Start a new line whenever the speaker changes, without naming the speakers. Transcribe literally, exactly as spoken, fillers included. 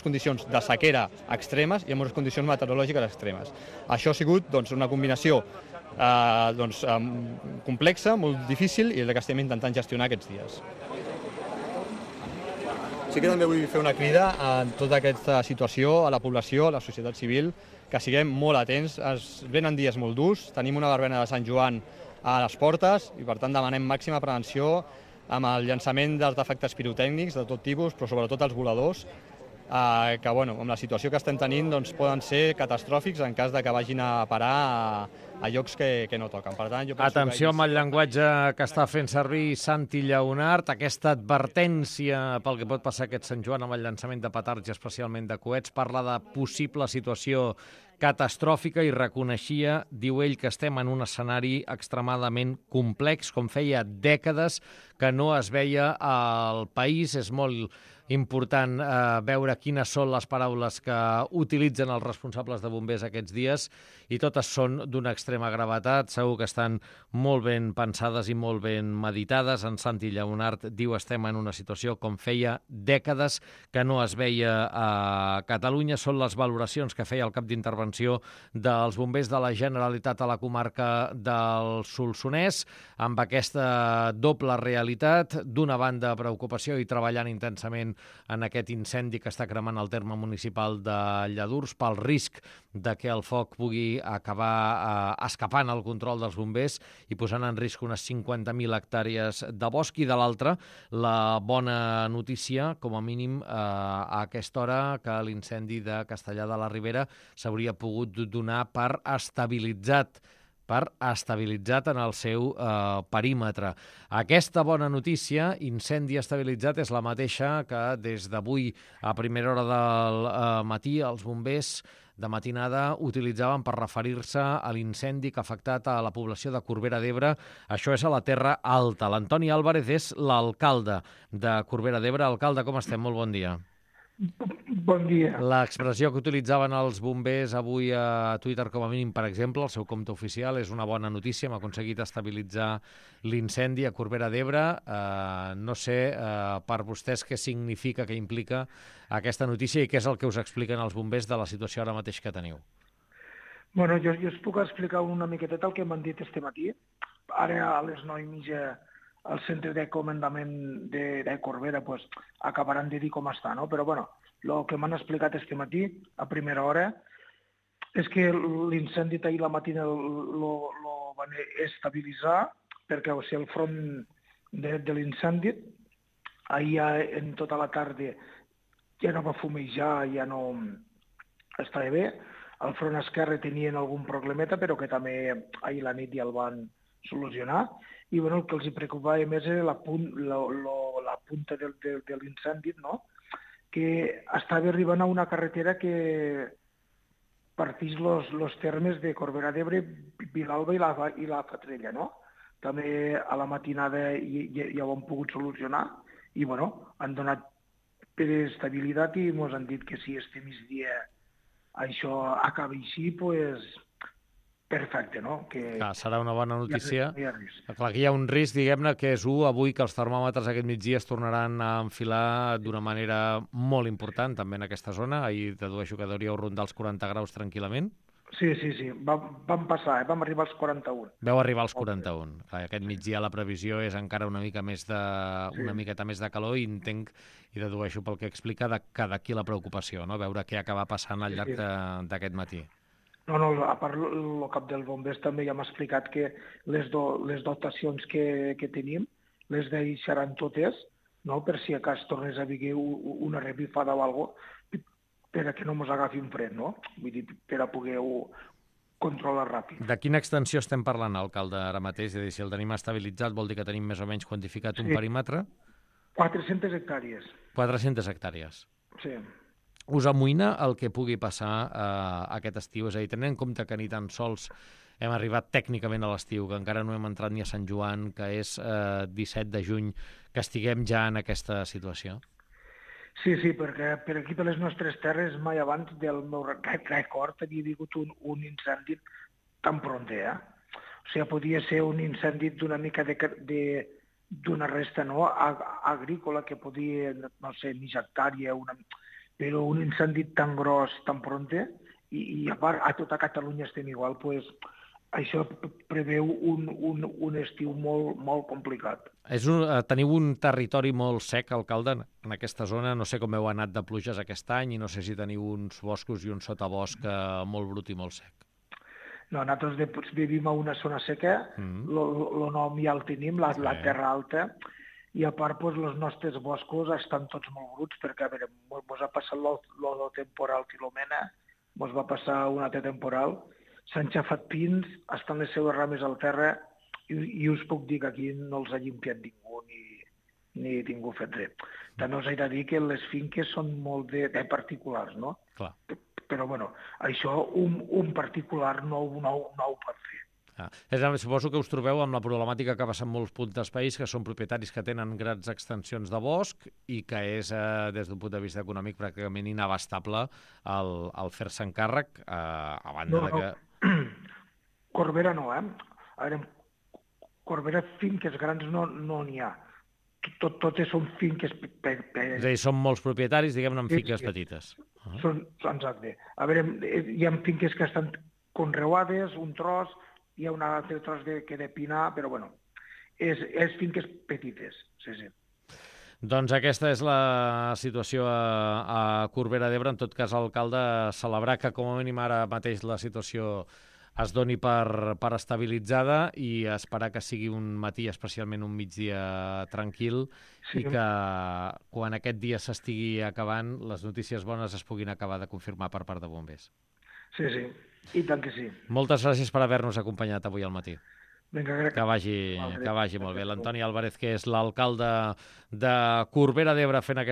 condicions de sequera extremes i amb unes condicions meteorològiques extremes. Això ha sigut doncs, una combinació eh, doncs, eh, complexa, molt difícil, i és el que estem intentant gestionar aquests dies. Sí que també vull fer una crida en tota aquesta situació a la població, a la societat civil, que siguem molt atents. Es venen dies molt durs, tenim una verbena de Sant Joan a les portes i per tant demanem màxima prevenció amb el llançament d'artefactes pirotècnics de tot tipus, però sobretot els voladors, eh, que bueno, amb la situació que estem tenint doncs, poden ser catastròfics en cas de que vagin a parar a, a llocs que, que no toquen. Per tant, jo penso
Atenció
que...
amb el llenguatge que està fent servir Santi Lleonart, aquesta advertència pel que pot passar aquest Sant Joan amb el llançament de petards i especialment de coets, parla de possible situació catastròfica i reconeixia, diu ell, que estem en un escenari extremadament complex, com feia dècades que no es veia al país. És molt important eh, veure quines són les paraules que utilitzen els responsables de bombers aquests dies i totes són d'una extrema gravetat, segur que estan molt ben pensades i molt ben meditades. En Santi Lleonart diu estem en una situació com feia dècades que no es veia a Catalunya. Són les valoracions que feia el cap d'intervenció dels bombers de la Generalitat a la comarca del Solsonès, amb aquesta doble realitat, d'una banda preocupació i treballant intensament en aquest incendi que està cremant el terme municipal de Lladurs pel risc de que el foc pugui acabar eh, escapant al control dels bombers i posant en risc unes cinquanta mil hectàrees de bosc, i de l'altra la bona notícia, com a mínim eh, a aquesta hora, que l'incendi de Castellar de la Ribera s'hauria pogut donar per estabilitzat per estabilitzat en el seu eh, perímetre. Aquesta bona notícia, incendi estabilitzat, és la mateixa que des d'avui a primera hora del eh, matí els bombers de matinada utilitzaven per referir-se a l'incendi que ha afectat a la població de Corbera d'Ebre. Això és a la Terra Alta. L'Antoni Álvarez és l'alcalde de Corbera d'Ebre. Alcalde, com estem? Molt bon dia.
Bon dia.
L'expressió que utilitzaven els bombers avui a Twitter, com a mínim, per exemple, el seu compte oficial, és una bona notícia. Hem aconseguit estabilitzar l'incendi a Corbera d'Ebre. Eh, no sé, eh, per vostès, què significa, què implica aquesta notícia i què és el que us expliquen els bombers de la situació ara mateix que teniu.
Bueno, jo, jo us puc explicar una miqueta el que m'han dit este matí. Ara a les nou i mitja el centre de comandament de, de Corbera pues, acabaran de dir com està, no? Però bueno, el que m'han explicat este matí, a primera hora, és que l'incendi d'ahir la matina lo, lo van estabilitzar, perquè o sigui, el front de, de l'incendi, ahir ja, en tota la tarda ja no va fumejar, ja no estava bé. Al front esquerre tenien algun problemeta, però que també ahir la nit ja el van solucionar. I bueno, el que els preocupava més era la, punt, la, la, la punta de, de, de l'incendi, no? Que estava arribant a una carretera que partís els termes de Corbera d'Ebre, Vilalba i la, i la Fatrella, no? També a la matinada ja, ja ho han pogut solucionar i bueno, han donat per estabilitat i ens han dit que si este migdia això acaba així, doncs pues, perfecte, no? Que
Clar, serà una bona notícia.
Hi ha, hi ha
Clar, aquí hi ha un risc, diguem-ne, que és u, avui que els termòmetres aquest migdia es tornaran a enfilar d'una manera molt important, també en aquesta zona. Ahir dedueixo que hauríeu rondar els quaranta graus tranquil·lament.
Sí, sí, sí. Va, vam passar, eh? Vam arribar als quaranta-un.
Veu arribar als quaranta-un. Clar, aquest migdia la previsió és encara una mica més de, sí. una miqueta més de calor i entenc i dedueixo pel que explica de, que d'aquí la preocupació, no? Veure què acaba passant al llarg d'aquest matí.
No, no, a part, el cap dels bombers també ja m'ha explicat que les, do, les dotacions que, que tenim les deixaran totes, no?, per si a cas tornés a haver una revifada o alguna cosa, per a que no ens agafi un fred, no? Vull dir, per a poder-ho controlar ràpid.
De quina extensió estem parlant, alcalde, ara mateix? És a dir, si el tenim estabilitzat vol dir que tenim més o menys quantificat un
sí.
perímetre?
quatre-centes hectàrees.
quatre-centes hectàrees.
Sí.
Us amoïna el que pugui passar eh, aquest estiu? És a dir, tenint en compte que ni tan sols hem arribat tècnicament a l'estiu, que encara no hem entrat ni a Sant Joan, que és eh, disset de juny, que estiguem ja en aquesta situació?
Sí, sí, perquè per aquí, per les nostres terres, mai abans del meu record havia vingut un, un incendi tan pronter, eh? O sigui, podia ser un incendi d'una mica de, de, d'una resta no agrícola que podia, no sé, mitja hectàrea, una... però un incendi tan gros, tan pronte, i, i a part a tota Catalunya estem igual, pues, això preveu un, un, un estiu molt, molt complicat.
És un, teniu un territori molt sec, alcalde, en aquesta zona. No sé com heu anat de pluges aquest any i no sé si teniu uns boscos i un sotabosc molt brut i molt sec.
No, nosaltres vivim a una zona seca, el mm. nom ja el tenim, la, sí. la terra alta, i a part doncs, els nostres boscos estan tots molt bruts, perquè a veure, ens ha passat el temporal Filomena, ens va passar un altre temporal, s'han xafat pins, estan les seues rames al terra, i, i us puc dir que aquí no els ha llimpiat ningú ni, ni ningú fet res. També us he de dir que les finques són molt de, de particulars, no?
Clar.
Però, bueno, això un, un particular no, no, no ho pot fer.
Ah. Suposo que us trobeu amb la problemàtica que passa en molts punts del país, que són propietaris que tenen grans extensions de bosc i que és, eh, des d'un punt de vista econòmic, pràcticament inabastable el, el fer-se encàrrec, eh, a banda
no,
de que...
No. Corbera no, eh? A veure, Corbera finques grans no n'hi no ha. Tot, totes són finques... Pe, pe...
És a dir, són molts propietaris, diguem-ne, amb finques
sí,
petites.
Uh-huh. Són, exacte. A veure, hi ha finques que estan conreuades, un tros, hi ha un altre tros de, que de pinar, però bueno, és, és finques petites, sí, sí.
Doncs aquesta és la situació a, a Corbera d'Ebre. En tot cas, alcalde, celebrar que com a mínim ara mateix la situació es doni per, per estabilitzada i esperar que sigui un matí, especialment un migdia tranquil, sí. I que quan aquest dia s'estigui acabant, les notícies bones es puguin acabar de confirmar per part de bombers.
Sí, sí, i tant que sí.
Moltes gràcies per haver-nos acompanyat avui al matí.
Vinga, crec.
Que vagi, que vagi molt bé. L'Antoni Álvarez, que és l'alcalde de Corbera d'Ebre, fent aquesta